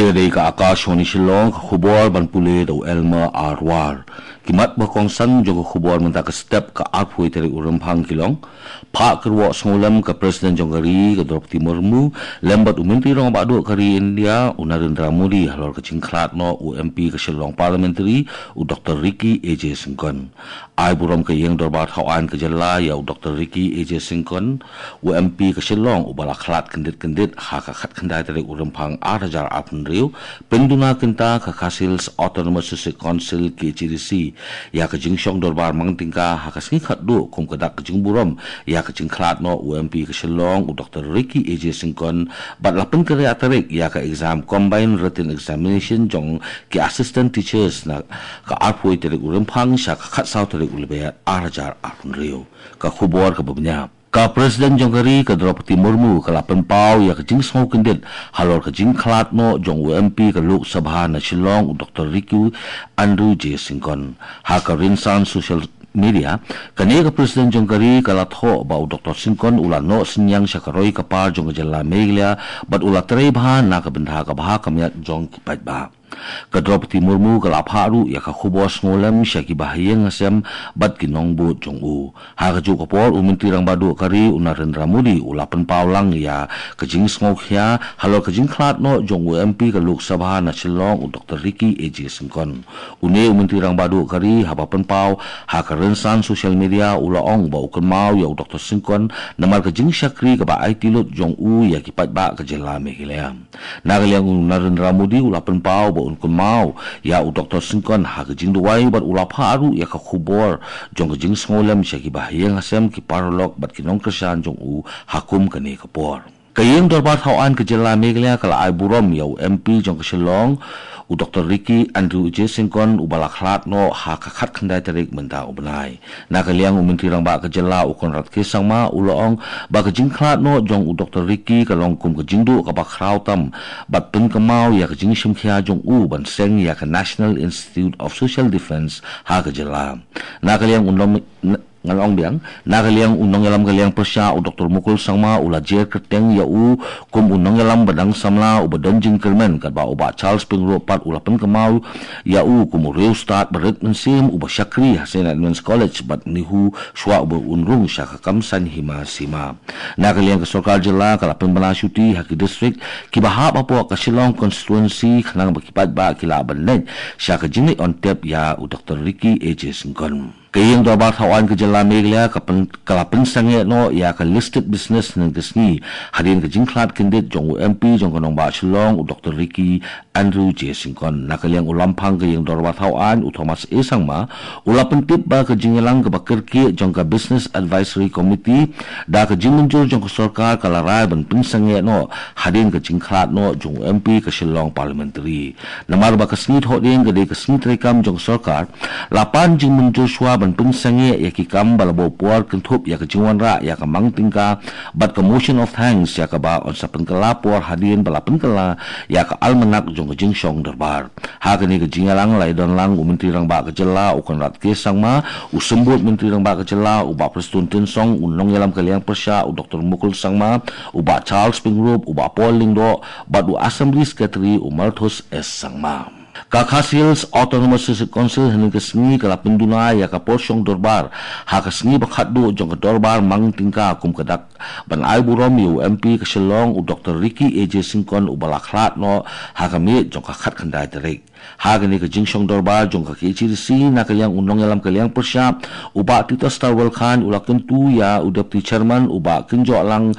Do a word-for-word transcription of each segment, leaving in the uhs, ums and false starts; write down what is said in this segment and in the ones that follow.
Ka dei ka Akashvani Shillong, ka khubor ban pule da u Elmer Arwar. Ki mat ba kongsan jong ka khubor mynta ka step, ka arphew tarik u Rymphang ki long: Phah kyrwoh sngewlem ka President jong ka ri ka Droupadi Murmu lem bad u Myntri Rangbah Duh ka ri India u Narendra Modi halor ka jingkhlad noh u M P ka Shillong Parliamentary u Doctor Ricky A J Syngkon. Ai burom ka Ïing Dorbar Thawaiñ ka jylla ïa u Doctor Ricky A J Syngkon, u M P ka Shillong uba la khlad kyndit kyndit ha ka khatkhyndai tarik u Rymphang ar hajar arphew hynriew, pynduna kynta ka Khasi Hills Autonomous District Council, K H A D C, ïa ka jingshong dorbar mang tyngka ha ka sngi khatduh kum ka dak ka jingburom ïa ka jingkhlad noh u M P ka Shillong u Doctor Ricky A J Syngkon, bad la pynkynriah tarik ïa ka exam combined written examination jong ki assistant teachers na ka arphew tarik u Rymphang sha ka khatsaw tarik u Lber ar hajar arphew hynriew. Ka khubor kaba bniah. Ka President jong ka ri ka Droupadi Murmu ka la pynpaw ïa ka jingsngew kyndit halor ka jingkhlad noh jong u M P ka Lok Sabha na Shillong u Doctor Ricky Andrew J Syngkon. Ha ka rynsan social media, kane ka President jong ka ri ka la thoh ba u Doctor Syngkon u la noh synñiang sha ka roi ka par jong ka jylla Meghalaya bad u la trei bha na ka bynta ka bha ka miat jong ki paidbah. Ka Droupadi Murmu ka la phah ruh ïa ka khubor sngewlem sha ki bahaïing hasem bad ki nongbud jong u. Ha kajuh ka por u Myntri Rangbah Duh ka ri u Narendra Modi u la pynpaw lang ïa ka jingsngewkhia halor ka jingkhlad noh jong u M P ka Lok Sabha na Shillong u Doctor Ricky A J Syngkon. Une u Myntri Rangbah Duh ka ri haba pynpaw ha ka rynsan social media u la ong ba u kynmaw ïa u Doctor Syngkon namar ka jingshakri kaba aiti lut jong u ïa ki paidbah ka jylla Meghalaya. Na ka liang u Narendra Modi u la pynpaw ba un kynmaw ïa u Doctor Syngkon ha ka jingduwai bad u la phah ruh ïa ka khubor jong ka jingsngewlem sha ki bahaïing hasem, ki paralok bad ki nongkyrshan jong u ha kum kane ka por. Ka Ïing Dorbar Thawaiñ ka jylla Meghalaya ka la ai burom ïa u M P jong ka Shillong u Doctor Ricky Andrew J Syngkon uba la khlad noh ha ka khatkhyndai tarik mynta u bnai. Na ka liang u Myntri Rangbah ka jylla u Conrad K Sangma u la ong ba ka jingkhlad noh jong u Doctor Ricky ka long kum ka jingduh kaba khraw tam bad pynkynmaw ïa ka jingshimkhia jong u ban seng ïa ka National Institute of Social Defence ha ka jylla. Na ka liang u nong ngan ong biang, na ka liang u nongïalam ka liang pyrshah u Doctor Mukul Sangma u la jer kyrteng ïa u kum u nongïalam ba dang samla uba don jingkyrmen, katba u Bah Charles Pyngrope pat u la pynkynmaw ïa u kum u riewstad ba rit mynsiem uba shakri ha Saint Edmund's College bad NEHU shuwa uba un rung sha ka kam saiñ hima sima. Na ka liang ka sorkar jylla ka la pynbna shuti ha ki district kiba hap hapoh ka Shillong constituency khnang ba ki paidbah ki lah ban leit sha ka jingleit on tep ïa u Doctor Ricky A J Syngkon. Ka Ïing Dorbar Thawaiñ ka jylla Meghalaya ka pyn-, ka la pynsangeh noh ïa ka listed business hynne ka sngi hadien ka jingkhlad kyndit jong u M P jong ka nongbah Shillong u Doctor Ricky Andrew J Syngkon. Na ka liang u Lamphang ka Ïing Dorbar Thawaiñ u Thomas A Sangma u la pyntip ba ka jingïalang kaba kyrkieh jong ka Business Advisory Committee da ka jingmynjur jong ka sorkar ka la rai ban pynsangeh noh hadien ka jingkhlad noh jong u M P ka Shillong Parliamentary. Namar ba ka sngi Thohdieng ka dei ka sngi treikam jong ka sorkar, la pan jingmynjur shuwa ban pynsangeh ïa ki kam ba la buh por kynthup ïa ka jingwanrah ïa ka mang tyngka bad ka motion of thanks ïa kaba yn sa pynkylla por hadien ba la pynkylla ïa ka almanak jong ka jingshong dorbar. Ha kane ka jingïalang la ïadon lang u Myntri Rangbah ka jylla u Conrad K Sangma, u Symbud Myntri Rangbah ka jylla u Bah Prestone Tynsong, u nongïalam ka liang pyrshah u Doctor Mukul Sangma, u Bah Charles Pyngrope, u Bah Paul Lyngdoh bad u Assembly Secretary u Malthus S Sangma. Ka Khasi Hills Autonomous District Council hynne ka sngi ka la pynduna ïa ka por shong dorbar ha ka sngi ba khatduh jong ka dorbar mang tyngka kum ka dak ban ai burom ïa u M P ka Shillong u Doctor Ricky A J Syngkon uba la khlad noh ha ka miet jong ka khatkhyndai tarik. Ha kane ka jingshong dorbar jong ka K H A D C, na ka liang u nongïalam ka liang pyrshah u Bah Titosstarwell Chyne u la kyntu ïa u Deputy Chairman u Bah Kynjohlang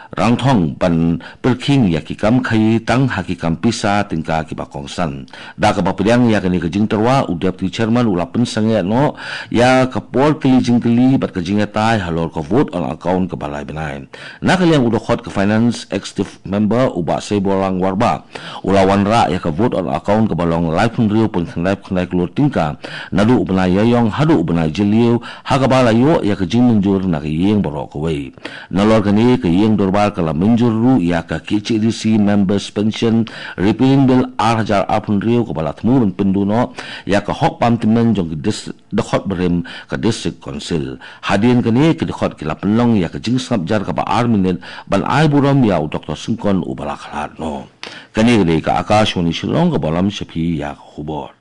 Rangthong ban pyrkhing ïa ki kam khaïi tang ha ki kam pisa tyngka kiba kongsan. Da kaba pdiang ïa kane ka jingtyrwa, u Deputy Chairman u la pynsangeh noh ïa ka por kylli jingkylli bad ka jingïatai halor ka vote on account kaba lai bnai. Na ka liang u dkhot ka Finance Executive Member u Bah Seiborlang Warbah u la wanrah ïa ka vote on account kaba long laiphew hynriew point khyndai khyndai klur tyngka naduh u bnai Ïaïong haduh u bnai Jylliew, ha kaba la ïoh ïa ka jingmynjur na ka ïing baroh kawei. Nalor kane, ka ïing dorbar ka la mynjur ruh ïa ka K H A D C Members Pension Repealing Bill ar hajar arphew hynriew kaba la thmu ban pynduh noh ïa ka hok bam tymmen jong ki dis-, dkhot barim ka District Council. Hadien kane, ki dkhot ki la pynlong ïa ka jingsngap jar kaba ar minit ban ai burom ïa u Doctor Syngkon uba la khlad noh. Kane ka dei ka Akashvani Shillong kaba lam sha phi ïa ka khubor.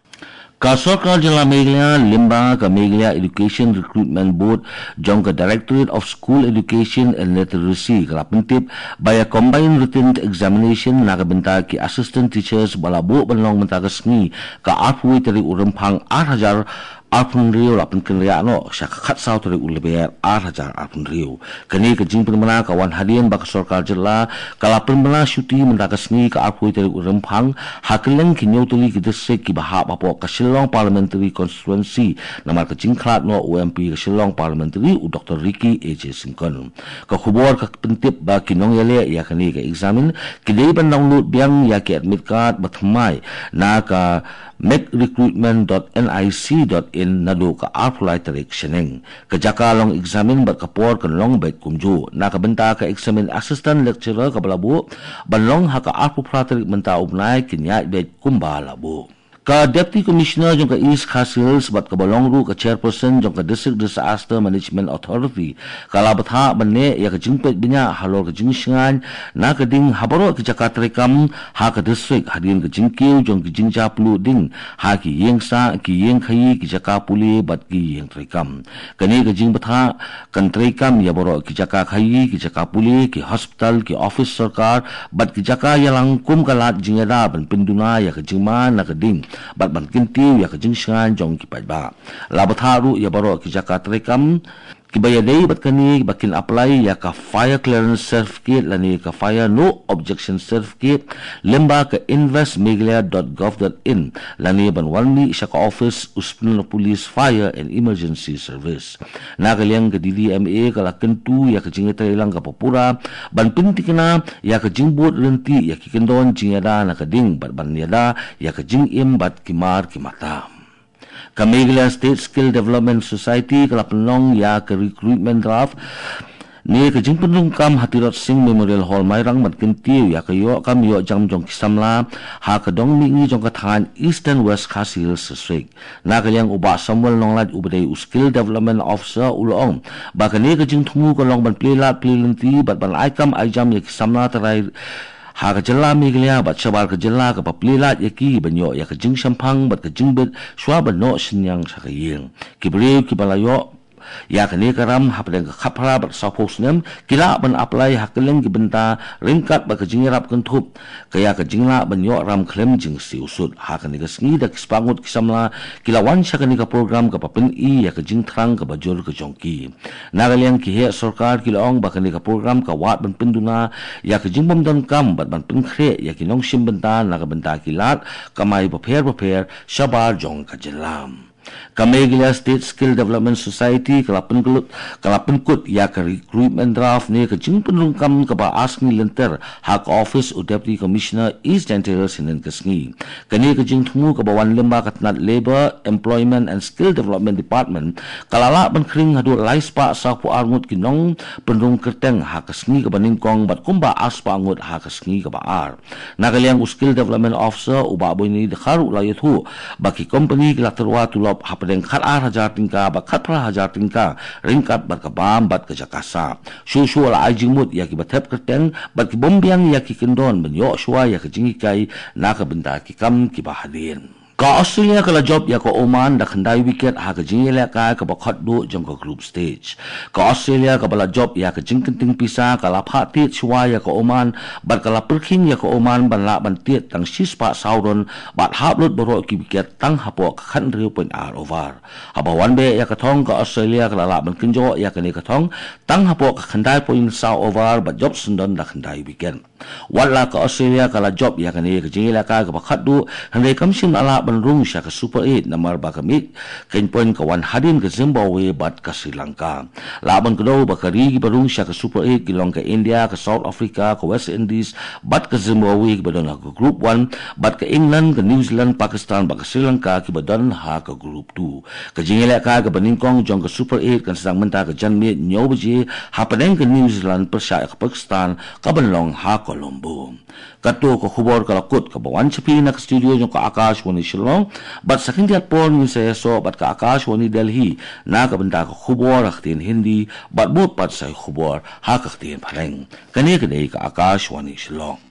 Ka Sorkar Jylla Meghalaya lyngba ka Meghalaya Education Recruitment Board jong ka Directorate of School Education and Literacy ka la pyntip ba ïa Combined Written Examination na ka bynta ki Assistant Teachers ba la buh ban long mynta ka sngi ka arphew tarik u Rymphang ar hajar arphew hynriew la pynkynriah noh sha ka khatsaw tarik u Lber ar hajar arphew hynriew. Kane ka jingpynbna ka wan hadien ba ka Sorkar Jylla ka la pynbna shuti mynta ka sngi ka arphew tarik u Rymphang ha kylleng ki hynñiew tylli ki distrik kiba hap hapoh ka Shillong Parliamentary Constituency namar ka jingkhlad noh u M P ka Shillong Parliamentary u Doctor Ricky A J Syngkon. Ka khubor ka pyntip ba ki nongïaleh ïa kane ka eksamin ki dei ban download biang ïa ki admit card ba thymmai na ka megrecruitment.nic.in naduh ka arphew lai tarik shaneng. Ka jaka long eksamin bad ka por kan long beit kumjuh. Na ka bynta ka eksamin Assistant Lecturer kaba la buh ban long ha ka arphew phra tarik mynta u bnai, kin ïaid beit kumba la buh. Ka Deputy Commissioner jong ka East Khasi Hills bad kaba long ruh ka Chairperson jong ka District Disaster Management Authority ka la bthah ban neh ïa ka jingpeit bniah halor ka jingshngaiñ na ka ding ha baroh ki jaka treikam ha ka district hadien ka jingkiew jong ki jingjia pluh ding ha ki ïing sah, ki ïing khaïi, ki jaka pule bad ki ïing treikam. Kane ka jingbthah kan treikam ïa baroh ki jaka khaïi, ki jaka pule, ki hospital, ki office sorkar bad ki jaka ïalang kum ka lad jingïada ban pynduna ïa ka jingma na ka ding bad ban kyntiew ïa ka jingshngaiñ jong ki paidbah. La bthah ruh ïa baroh ki jaka treikam kiba ïadei bad kane ba kin apply ïa ka Fire Clearance Certificate lane ka Fire No Objection Certificate lyngba ka invest meghalaya dot gov dot in lane ban wan mih sha ka office u Spindler Police Fire and Emergency Service. Na ka liang ka D D M A ka la kyntu ïa ka jingïatreilang kaba pura ban pyntikna ïa ka jingbud ryntih ïa ki kyndon jingïada na ka ding bad ban ïada ïa ka jingim bad ki mar ki mata. Ka Meghalaya State Skill Development Society ka la pynlong ïa ka recruitment draft ne ka jingpynrung kam ha Tirot Sing Memorial Hall Mairang ban kyntiew ïa ka ïoh kam ïoh jam jong ki samla ha ka dong mihngi jong ka thaiñ Eastern West Khasi Hills District. Na ka liang u Bah Samuel Nonglait uba dei u Skill Development Officer u la ong ba kane ka jingthmu ka long ban plie lad plie lynti bad ban ai kam ai jam ïa ki samla trai ha ka jylla Meghalaya bad shabar ka jylla kaba plie lad ïa ki ban ïoh ïa ka jingshemphang bad ka jingbit shuwa ban noh synñiang sha ka ïing. Ki briew kiba la ïoh ïa kane ka ram hapdeng ka khatphra bad sawphew snem ki lah ban apply ha kylleng ki bynta ryngkat bad ka jingïarap kynthup ka ïa ka jinglah ban ïoh ram khlem jingsiew sut. Ha kane ka sngi da ki spah ngut ki samla ki la wan sha kane ka program kaba pyni ïa ka jingthrang kaba jur ka jong ki. Na ka liang ki heh sorkar ki la ong ba kane ka program ka wad ban pynduna ïa ka jingbym donkam bad ban pynkhreh ïa ki nongshim bynta na ka bynta ki lad kamai bapher bapher shabar jong ka jylla. Ka Meghalaya State Skill Development Society ka la pynkut, ka la pynkut ïa ka recruitment draft ne ka jingpynrung kam kaba ar sngi lynter ha ka office u Deputy Commissioner East Jaintia Hills hynnin ka sngi. Kane ka jingthmu kaba wan lyngba ka tnat Labour, Employment and Skill Development Department ka la lah ban khring haduh lai spah sawphew ar ngut ki nongpynrung kyrteng ha ka sngi kaba nyngkong bad kumba ar spah ngut ha ka sngi kaba ar. Na ka liang u Skill Development Officer u Bah Boini Dkhar u la ïathuh ba ki company ki la tyrwa tulop hapdeng khat ar hajar tyngka bad khat phra hajar tyngka ryngkat bad ka bam bad ka jaka sah. Shuh shuh la ai jingmut ïa kiba thep kyrteng bad ki bym biang ïa ki kyndon ban ïoh shuwa ïa ka jinghikai na ka bynta ki kam kiba hadien. Ka Australia ka la jop ïa ka Oman da khyndai wicket ha ka jingïalehkai kaba khatduh jong ka group stage. Ka Australia kaba la jop ïa ka jingkynting pisa ka la phah tied shuwa ïa ka Oman bad ka la pyrkhing ïa ka Oman ban lah ban tied tang shispah saw run bad hap lut baroh ki wicket tang hapoh ka khathynriew point ar over. Haba wan beh ïa ka thong ka Australia ka la lah ban kynjoh ïa kane ka thong tang hapoh ka khyndai point saw over bad jop syndon da khyndai wicket. Wat la ka Australia ka la jop ïa kane ka jingïalehkai kaba khatduh, hynrei kam shym la lah ban rung sha ka Super Eight namar ba ka mih khein point ka wan hadien ka Zimbabwe bad ka Sri Lanka. Lah ban kdew ba ka ri kiba rung sha ka Super Eight ki long ka India, ka South Africa, ka West Indies bad ka Zimbabwe kiba don ha ka Group One bad ka England, ka New Zealand, Pakistan bad ka Sri Lanka kiba don ha ka Group Two. Ka jingïalehkai kaba nyngkong jong ka Super Eight kan sdang mynta ka janmiet hynñiew baje hapdeng ka New Zealand pyrshah ïa ka Pakistan kaban long ha Colombo. Kato ka khubor ka la kut kaba wan sha phi na ka studio jong ka Akashvani Shillong. Bad sa khyndiat por ngin sa ïasoh bad ka Akashvani Delhi na ka bynta ka khubor ha ka ktien Hindi bad bud pat sa ïa ka khubor ha ka ktien Phareng. Kane ka dei ka Akashvani Shillong.